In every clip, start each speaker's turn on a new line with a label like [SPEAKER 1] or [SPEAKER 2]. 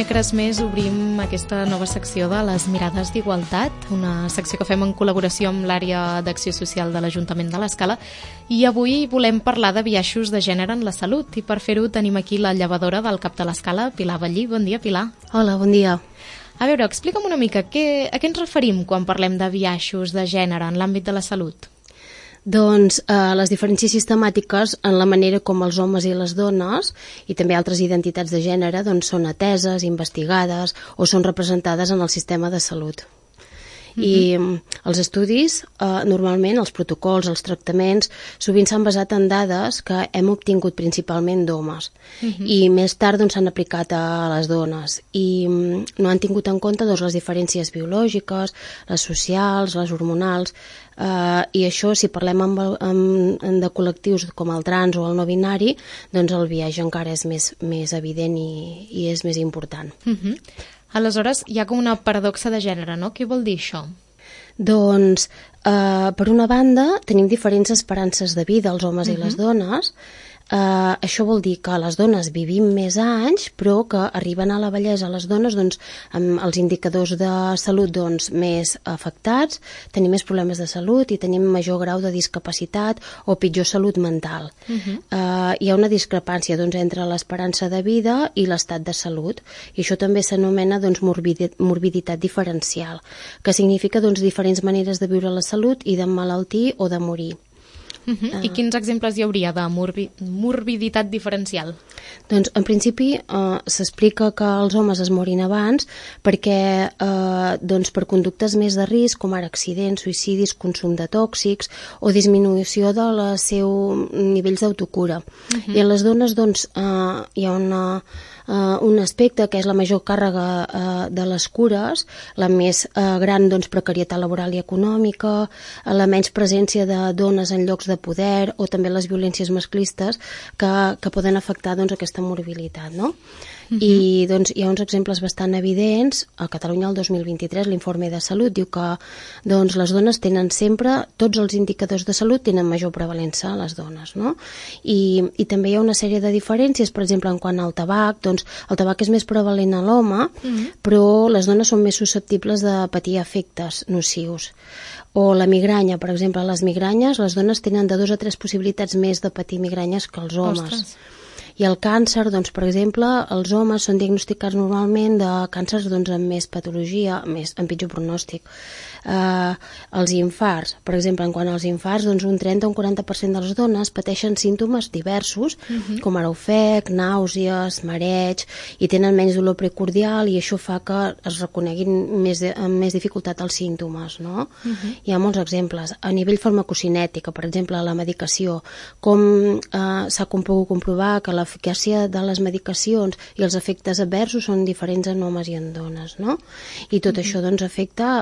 [SPEAKER 1] dimecres més obrim aquesta nova secció de les Mirades d'Igualtat, una secció que fem en col·laboració amb l'àrea d'acció social de l'Ajuntament de l'Escala, i avui volem parlar de biaixos de gènere en la salut, i per fer-ho tenim aquí la llevadora del CAP de l'Escala, Pilar Ballí. Bon dia, Pilar.
[SPEAKER 2] Hola, bon dia.
[SPEAKER 1] A veure, explica'm una mica, a què ens referim quan parlem de biaixos de gènere en l'àmbit de la salut?
[SPEAKER 2] Doncs les diferències sistemàtiques en la manera com els homes i les dones i també altres identitats de gènere doncs, són ateses, investigades o són representades en el sistema de salut. I els estudis, normalment, els protocols, els tractaments, sovint s'han basat en dades que hem obtingut principalment d'homes i més tard doncs, s'han aplicat a les dones i no han tingut en compte doncs, les diferències biològiques, les socials, les hormonals, i això, si parlem de col·lectius com el trans o el no binari, doncs el biaix encara és més evident i és més important.
[SPEAKER 1] Aleshores, hi ha com una paradoxa de gènere, no? Què vol dir això?
[SPEAKER 2] Doncs, per una banda, tenim diferents esperances de vida, els homes i les dones. Això vol dir que les dones vivim més anys, però que arriben a la vellesa les dones doncs, amb els indicadors de salut doncs, més afectats, tenim més problemes de salut i tenim major grau de discapacitat o pitjor salut mental. Hi ha una discrepància doncs, entre l'esperança de vida i l'estat de salut, i això també s'anomena doncs, morbiditat diferencial, que significa doncs, diferents maneres de viure la salut i d'emmalaltir o de morir.
[SPEAKER 1] I quins exemples hi hauria de morbiditat diferencial?
[SPEAKER 2] Doncs, en principi, s'explica que els homes es morin abans perquè doncs, per conductes més de risc, com ara accidents, suïcidis, consum de tòxics o disminució dels seus nivells d'autocura. I en les dones doncs, hi ha un aspecte que és la major càrrega de les cures, la més gran doncs, precarietat laboral i econòmica, la menys presència de dones en llocs de poder o també les violències masclistes que poden afectar doncs, aquesta morbilitat, no? I doncs, hi ha uns exemples bastant evidents. A Catalunya el 2023 l'informe de salut diu que doncs, les dones tenen sempre, tots els indicadors de salut tenen major prevalença a les dones, no? I també hi ha una sèrie de diferències, per exemple, en quant al tabac, doncs el tabac és més prevalent a l'home, però les dones són més susceptibles de patir efectes nocius. O la migranya, per exemple, les migranyes, les dones tenen de 2 a 3 possibilitats més de patir migranyes que els homes.
[SPEAKER 1] Ostres.
[SPEAKER 2] I el càncer, doncs, per exemple, els homes són diagnosticats normalment de càncers doncs, amb més patologia, amb pitjor pronòstic. Els infarts, per exemple, en quant als infarts, doncs un 30 o un 40% de les dones pateixen símptomes diversos, com ara ofec, nàusees, mareig, i tenen menys dolor precordial i això fa que es reconeguin amb més dificultat els símptomes, no? Hi ha molts exemples. A nivell farmacocinètic, per exemple, la medicació, com s'ha pogut comprovar que l'eficàcia de les medicacions i els efectes adversos són diferents en homes i en dones, no? I tot això doncs afecta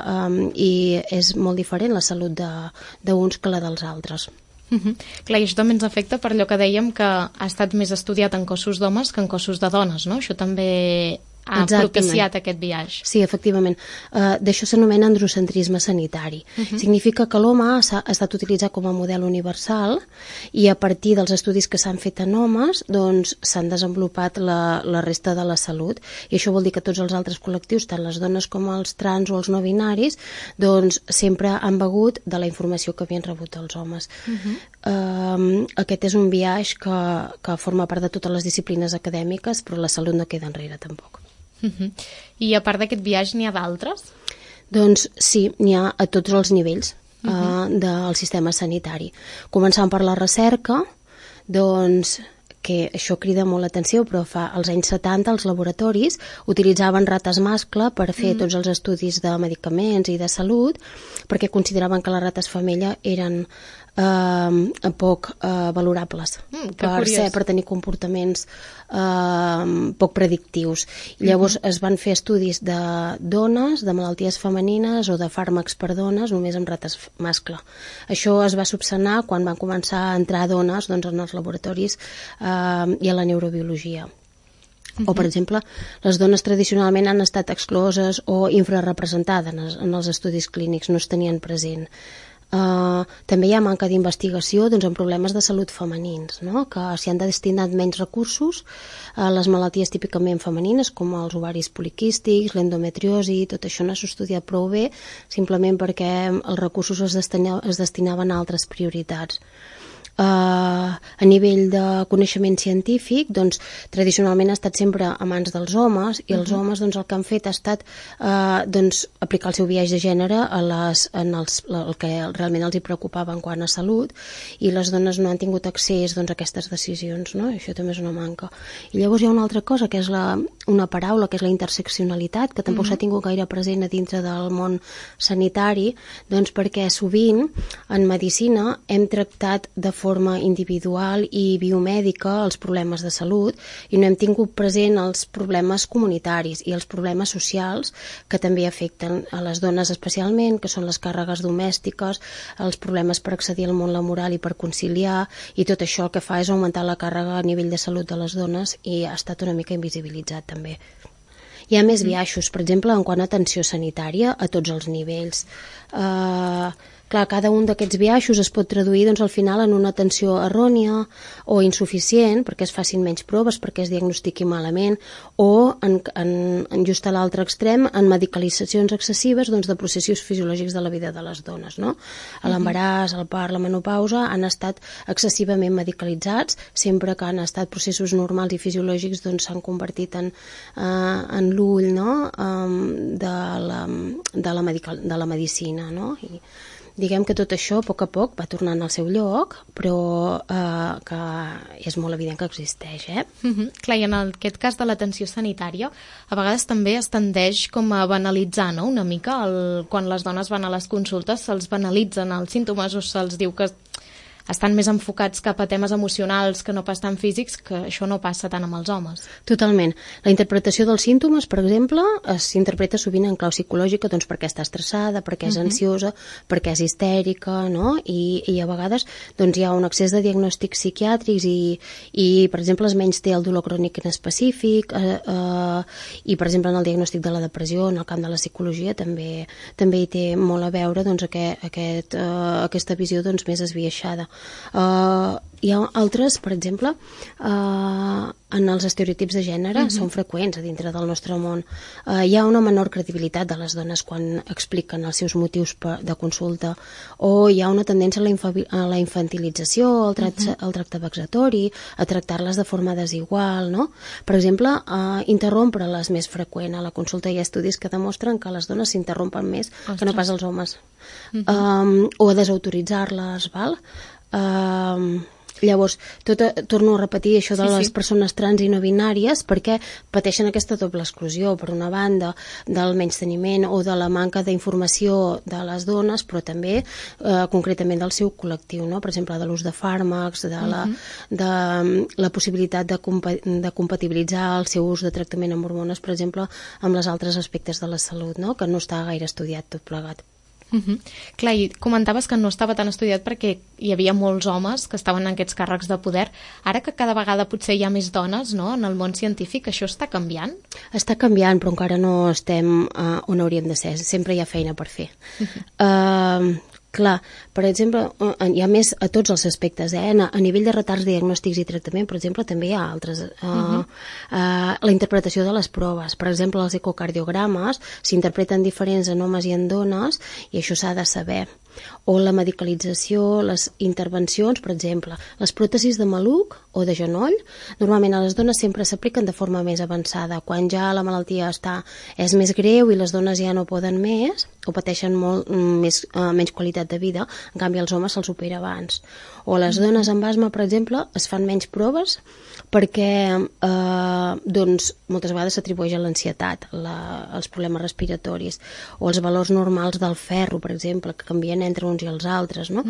[SPEAKER 2] i és molt diferent la salut d'uns que la dels altres.
[SPEAKER 1] Clar, i això també ens afecta per allò que dèiem que ha estat més estudiat en cossos d'homes que en cossos de dones, no? Això també ha propiciat aquest biaix.
[SPEAKER 2] Sí, efectivament. D'això s'anomena androcentrisme sanitari. Significa que l'home ha estat utilitzat com a model universal i a partir dels estudis que s'han fet en homes doncs s'han desenvolupat la resta de la salut i això vol dir que tots els altres col·lectius, tant les dones com els trans o els no binaris, doncs sempre han begut de la informació que havien rebut els homes. Aquest és un biaix que forma part de totes les disciplines acadèmiques, però la salut no queda enrere tampoc.
[SPEAKER 1] I a part d'aquest biaix n'hi ha d'altres?
[SPEAKER 2] Doncs sí, n'hi ha a tots els nivells del sistema sanitari. Començant per la recerca, doncs que això crida molt l'atenció, però als anys 70 els laboratoris utilitzaven rates mascle per fer tots els estudis de medicaments i de salut, perquè consideraven que les rates femella eren poc valorables per tenir comportaments poc predictius. I llavors es van fer estudis de dones, de malalties femenines o de fàrmacs per dones només amb rates mascle. Això es va subsanar quan van començar a entrar dones doncs, en els laboratoris i a la neurobiologia. O, per exemple, les dones tradicionalment han estat excloses o infrarrepresentades en els estudis clínics, no es tenien present. També hi ha manca d'investigació en problemes de salut femenins, no? Que s'hi han destinat menys recursos a les malalties típicament femenines, com els ovaris poliquístics, l'endometriosi, tot això no s'ha estudiat prou bé, simplement perquè els recursos es destinaven a altres prioritats. A nivell de coneixement científic, tradicionalment ha estat sempre a mans dels homes, i els homes el que han fet ha estat aplicar el seu biaix de gènere el que realment els hi preocupava en quant a salut, i les dones no han tingut accés a aquestes decisions, no? I això també és una manca. I llavors hi ha una altra cosa, que és una paraula, que és la interseccionalitat, que tampoc s'ha tingut gaire present a dintre del món sanitari, perquè sovint en medicina hem tractat de forma individual i biomèdica els problemes de salut i no hem tingut present els problemes comunitaris i els problemes socials que també afecten a les dones especialment, que són les càrregues domèstiques, els problemes per accedir al món laboral i per conciliar, i tot això el que fa és augmentar la càrrega a nivell de salut de les dones i ha estat una mica invisibilitzat també. Hi ha més biaixos, per exemple, en quant a atenció sanitària a tots els nivells. Clar, cada un d'aquests biaixos es pot traduir al final en una atenció errònia o insuficient, perquè es facin menys proves, perquè es diagnostiqui malament, o just a l'altre extrem, en medicalitzacions excessives de processos fisiològics de la vida de les dones, no? L'embaràs, el part, la menopausa han estat excessivament medicalitzats, sempre que han estat processos normals i fisiològics s'han convertit en l'ull, no? de la medicina, no? I diguem que tot això a poc va tornant al seu lloc, però que és molt evident que existeix.
[SPEAKER 1] Clar, i en aquest cas de l'atenció sanitària, a vegades també es tendeix com a banalitzar, no?, una mica, quan les dones van a les consultes se'ls banalitzen els símptomes o se'ls diu que estan més enfocats cap a temes emocionals que no pas tan físics, que això no passa tant amb els homes.
[SPEAKER 2] Totalment. La interpretació dels símptomes, per exemple, s'interpreta sovint en clau psicològica, perquè està estressada, perquè és ansiosa, perquè és histèrica, no? I a vegades hi ha un excés de diagnòstics psiquiàtrics i per exemple, es menys té el dolor crònic específic i, per exemple, en el diagnòstic de la depressió, en el camp de la psicologia, també hi té molt a veure aquesta visió més esbiaixada. Hi ha altres, per exemple, en els estereotips de gènere són freqüents a dintre del nostre món. Hi ha una menor credibilitat de les dones quan expliquen els seus motius de consulta, o hi ha una tendència a la infantilització, al tracte vexatori, a tractar-les de forma desigual, no? Per exemple, interrompre-les més freqüent. A la consulta hi ha estudis que demostren que les dones s'interrompen més que no pas els homes. O a desautoritzar-les, val? Llavors, torno a repetir això de les persones trans i no binàries, perquè pateixen aquesta doble exclusió, per una banda del menysteniment o de la manca d'informació de les dones, però també concretament del seu col·lectiu, no? Per exemple, de l'ús de fàrmacs, de la possibilitat de compatibilitzar el seu ús de tractament amb hormones, per exemple, amb els altres aspectes de la salut, no? Que no està gaire estudiat tot plegat.
[SPEAKER 1] Clar, i comentaves que no estava tan estudiat perquè hi havia molts homes que estaven en aquests càrrecs de poder. Ara que cada vegada potser hi ha més dones, no?, en el món científic, això està canviant?
[SPEAKER 2] Està canviant, però encara no estem on hauríem de ser. Sempre hi ha feina per fer. Clar, per exemple, hi ha més a tots els aspectes, a nivell de retards diagnòstics i tractament, per exemple, també hi ha altres. La interpretació de les proves, per exemple, els ecocardiogrames s'interpreten diferents en homes i en dones, i això s'ha de saber. O la medicalització, les intervencions, per exemple, les pròtesis de maluc o de genoll, normalment a les dones sempre s'apliquen de forma més avançada, quan ja la malaltia és més greu i les dones ja no poden més o pateixen menys qualitat de vida, en canvi als homes se'ls opera abans. O les dones amb asma, per exemple, es fan menys proves perquè moltes vegades s'atribueix a l'ansietat, als problemes respiratoris, o els valors normals del ferro, per exemple, que canvien entre uns i els altres, no?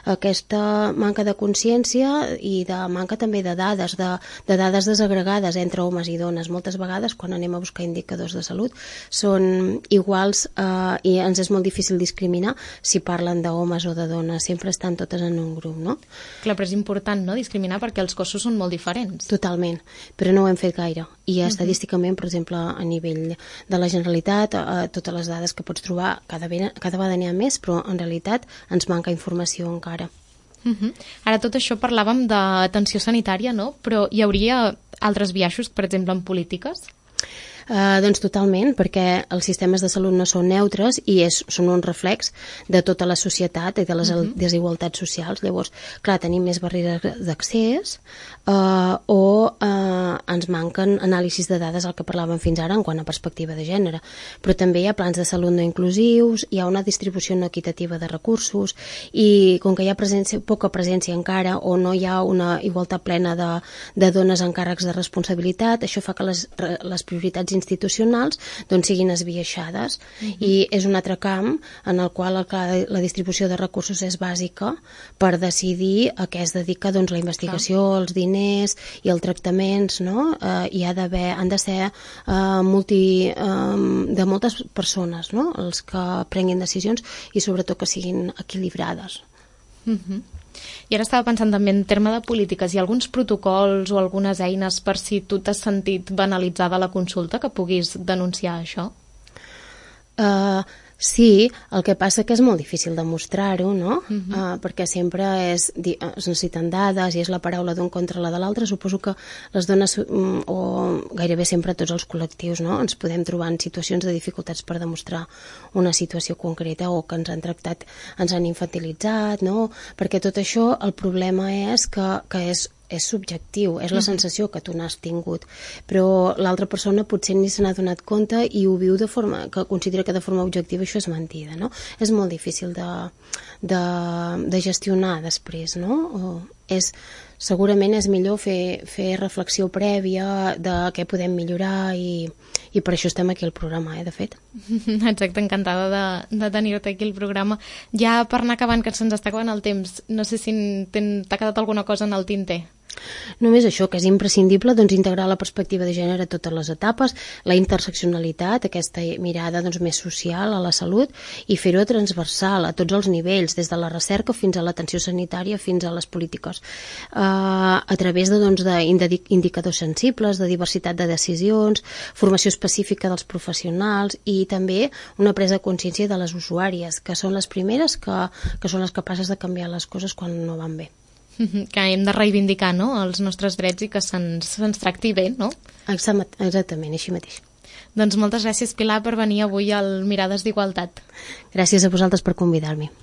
[SPEAKER 2] Aquesta manca de consciència i de manca també de dades, de dades desagregades entre homes i dones. Moltes vegades, quan anem a buscar indicadors de salut, són iguals i ens és molt difícil discriminar si parlen d'homes o de dones. Sempre estan totes en un grup, no?
[SPEAKER 1] Clar, però és important, no?, discriminar perquè els cossos són molt diferents.
[SPEAKER 2] Totalment, però no ho hem fet gaire. i estadísticament, per exemple, a nivell de la Generalitat, totes les dades que pots trobar, cada vegada n'hi ha més, però en realitat ens manca informació encara.
[SPEAKER 1] Ara tot això parlàvem d'atenció sanitària, no? Però hi hauria altres biaixos, per exemple, en polítiques?
[SPEAKER 2] Doncs totalment, perquè els sistemes de salut no són neutres i són un reflex de tota la societat i de les desigualtats socials. Llavors, clar, tenim més barreres d'accés o ens manquen anàlisis de dades, el que parlàvem fins ara, en quant a perspectiva de gènere. Però també hi ha plans de salut no inclusius, hi ha una distribució no equitativa de recursos i com que hi ha poca presència encara o no hi ha una igualtat plena de dones en càrrecs de responsabilitat, això fa que les prioritats institucionals doncs siguin esbiaixades i és un altre camp en el qual la distribució de recursos és bàsica per decidir a què es dedica doncs, la investigació, els diners i els tractaments, no? I han de ser de moltes persones, no? Els que prenguin decisions i sobretot que siguin equilibrades.
[SPEAKER 1] I ara estava pensant també en terme de polítiques. Hi ha alguns protocols o algunes eines per si tu t'has sentit banalitzada la consulta que puguis denunciar això?
[SPEAKER 2] Sí, el que passa que és molt difícil demostrar-ho, no? Perquè sempre es necessiten dades i és la paraula d'un contra la de l'altre. Suposo que les dones, o gairebé sempre tots els col·lectius, no? Ens podem trobar en situacions de dificultats per demostrar una situació concreta o que ens han tractat, ens han infantilitzat, no? Perquè tot això, el problema és que és subjectiu, és la sensació que tu n'has tingut, però l'altra persona potser ni se n'ha donat compte i ho viu que considera que de forma objectiva això és mentida, no? És molt difícil de gestionar després, no? Segurament és millor fer reflexió prèvia de què podem millorar i per això estem aquí al programa, de fet.
[SPEAKER 1] Exacte, encantada de tenir-te aquí al programa. Ja per anar acabant, que se'ns està acabant el temps, no sé si t'ha quedat alguna cosa en el tinter.
[SPEAKER 2] Només això, que és imprescindible doncs, integrar la perspectiva de gènere a totes les etapes, la interseccionalitat, aquesta mirada doncs, més social a la salut i fer-ho transversal a tots els nivells, des de la recerca fins a l'atenció sanitària fins a les polítiques, a través d'indicadors sensibles, de diversitat de decisions, formació específica dels professionals i també una presa de consciència de les usuàries, que són les primeres que són les capaces de canviar les coses quan no van bé.
[SPEAKER 1] Que hem de reivindicar, no?, els nostres drets i que se'ns tracti bé, no?
[SPEAKER 2] Exactament, així mateix.
[SPEAKER 1] Doncs moltes gràcies, Pilar, per venir avui al Mirades d'Igualtat.
[SPEAKER 2] Gràcies a vosaltres per convidar-me.